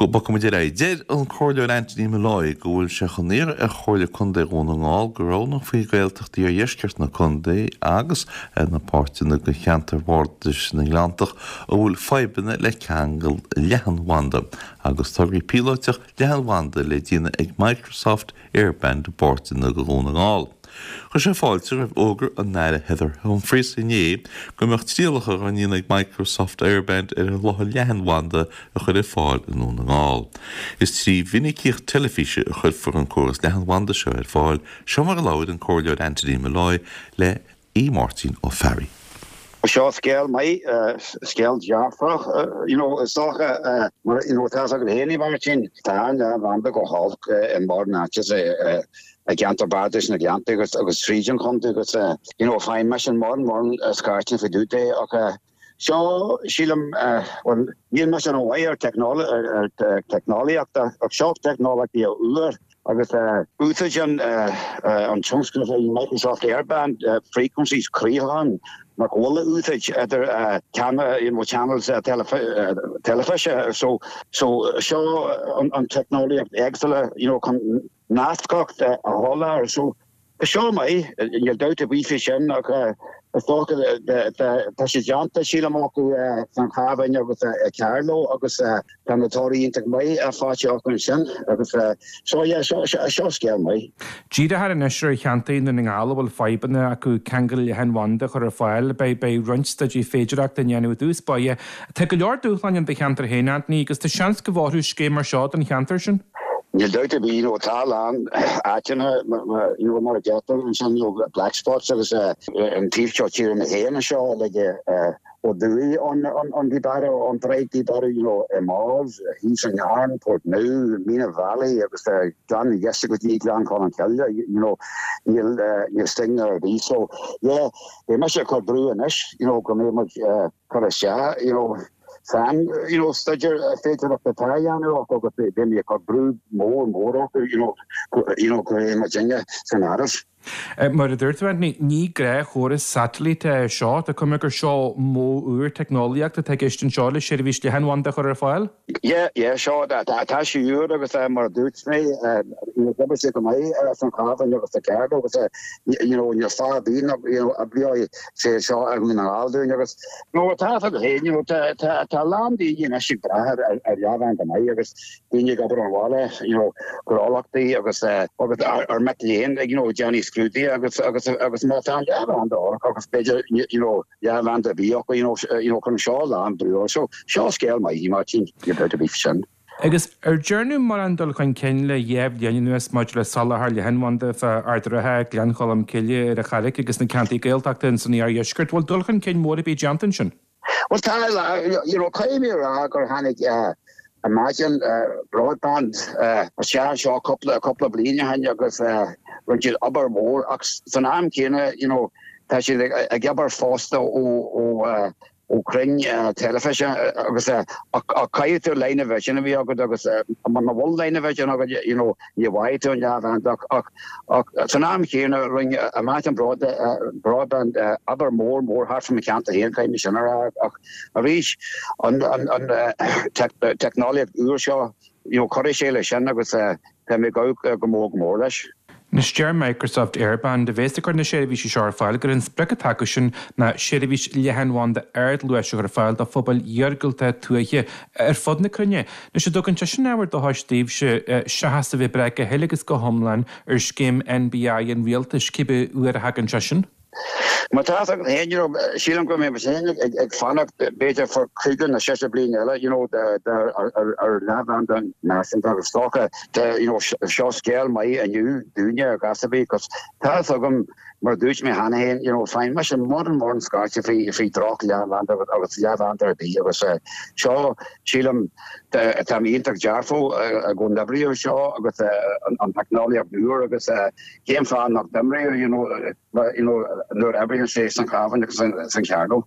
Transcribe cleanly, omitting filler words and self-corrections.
Bogfaidh muid ar aghaidh. Deir an Comhairleoir Anthony Molloy go bhfuil sé chun iarraidh ar Chomhairle Contae Dhún na nGall go roghnófaí Gaeltachtaí Iardheisceart na contae agus na páirteanna de cheantar Bhardais na nGleanntach a bhfuil fadhbanna le ceangal leathanbhanda agus tograí píolóiteach leathanbhanda le déanamh ag Microsoft Airband i bpáirteanna de Dhún na nGall. Chuir sé fáilte roimh fhógra an Aire Heather Humphreys inné go mbeadh trialacha á ndéanamh ag Microsoft Airband ar sholáthar leathanbhanda a chur ar fáil i nDún na nGall. Is trí mhinicíocht teilifíse a chuirfear an córas leathanbhanda seo ar fáil, seo mar a labhair an Comhairleoir Anthony Molloy le Aodh Máirtín Ó Fearraigh. Seo scéal maith, scéal dearfach, you know, is dócha, mar, you know, tá a fhios agat féin, a Mháirtín, tá an leathanbhanda go holc i mórán áiteanna i gceantar Bardais na nGleannta agus agus tríd an chontae agus, you know, faigheann mise mórán mórán scairteanna faoi dtaobh de ach seo, sílim, bhuel, níl mise rómhaith ar ar teicneolaíocht ach seo teicneolaíocht úr. Agus úsáideann an tionscnamh Microsoft Airband frequencies craolacháin nach bhfuil á úsáid idir channels teilifíse. So seo an teicneolaíocht éagsúla you know chun nascacht a sholáthar. So seo maith, níl dabht ar bith faoi sin ach is dócha tá sé déanta sílim acu san Chabhán agus i Carlow agus Tá na torthaí iontach maith faighte acu ansin agus so yeah seo seo scéal maith. Díreofar anois ar cheantair i nDún na nGall a bhfuil fadhbanna acu ceangal leathanbhanda a chur ar fáil. Beidh beidh roinnt staidéir féidearthachta á ndéanamh i dtús báire. Tá go leor dúshláin ann do cheantar féin, Anthony, agus tá seans go bhfóirfeadh scéim mar seo don cheantar sin. Níl dabht ar bith, you know, tá a lán áiteanna you know, mar a deirtear ansin, you know, black spots agus an taobh seo tíre mé féin anseo like ó thuaidh ón Gweedore, ón Droichead Gweedore, you know, i Moss, thíos i nGarn, Portnoo, Meenagh Valley agus Gleann na Dheise go dtí Gleann Cholm Cille, you know, níl, níl signal ar bith. So, yeah, beidh mise ag cur brú anois, you know, go mbeidh muid cur isteach, you know, san, you know, staidéar féidearthachta atá á dhéanamh acu agus beidh mé ag cur brú mór mór orthu, you know, you know, go mbeidh muidinne san áireamh. Mar a dúirt tú, Anthony, ní gnáthchóras satailíte é seo. Tá cuma gur seo modh úr teicneolaíochta atá i gceist anseo le seirbhís leathanbhanda a chur ar fáil. Yeah, yeah, seo, tá sé úr agus mar a dúirt mé, you know, d'oibrigh sé go maith san Chabhán agus sa Carlow agus you know, níl fáth ar bith nach, you know, oibreoidh sé seo i nDún na nGall dúinn agus, you know, tá a fhios agat féin, you know, tá, tá, tá a lán daoine anois ag brath ar, ar leathanbhanda maith agus, daoine ag obair ón bhaile, you know, gnólachtaí agus agus ár mic léinn ag, you know, déanamh scrúduithe agus agus agus má tá an leathanbhanda olc agus b'fhéidir, you know, leathanbhanda ar bith acu, you know, you know, cuireann seo a lán brú orthu. So, seo scéal maith, Máirtín, níl dabht ar bith faoi sin. Agus ar dearnadh mórán dul chun cinn le dhá bhliain anuas maidir le soláthar leathanbhanda fá Ard an Rátha, Gleann Cholm Cille, ar an Charraic agus na ceantair Gaeltachta ins an iardheisceart? Bhfuil dul chun cinn mór ar bith déanta ansin? Bhuel tá, you know, caithfidh mé a rá gur tháinig Imagine Broadband isteach anseo cúpla, cúpla bliain ó shin agus rinne siad obair mhór ach san am céanna, you know, tá siad ag obair fosta ó, ó, ó chrainn teilifíse agus ach caithfidh tú line of vision a bheith agat agus muna bhfuil line of vision agat, you know, ní bhfaighidh tú an leathbhanda ach, ach san am chéanna rinne Imagine Broadband obair mhór mhór thart fá mo cheantar féin, caithfidh mé sin a rá ach arís an teicneolaíocht úr seo, you know, cuirfidh sé leis sin agus tá mé ag gabháil go mór go mór leis. Anois deir Microsoft Airband, a bhéas ag cur na seirbhísí seo ar fáil, gur an sprioc atá acusan ná seirbhís leathanbhanda ardluais a chur ar fáil do phobail iargúlta tuaithe ar fud na cruinne. Anois an dtugann sé sin ábhar dóchais daoibhse, seachas a bheith ag brath go huile agus go hiomlán ar scéim NBI an rialtais, cibé uair a thagann sé sin? Má tá fhios agat féin, you know, sílim go mbeidh mise féin ag fanacht b'fhéidir for cúigear nó seisear bliain eile, you know, ar leathbhanda náisiúnta agus is dócha, you know, seo scéal maith inniu dúinne ar chás ar bith, 'cause tá fhios agam, mar a dúirt mé cheana féin, you know, faigheann mise mórán mórán scairte faoi faoi droch leathbhanda agus leathbhanda ar bith agus seo, sílim, táim iontach dearfach go n-oibreoidh seo agus an teicneolaíocht úr agus cén fáth nach n-oibreoidh, you know, you know, nuair a oibríonn sé san Chabhán agus san Carlow.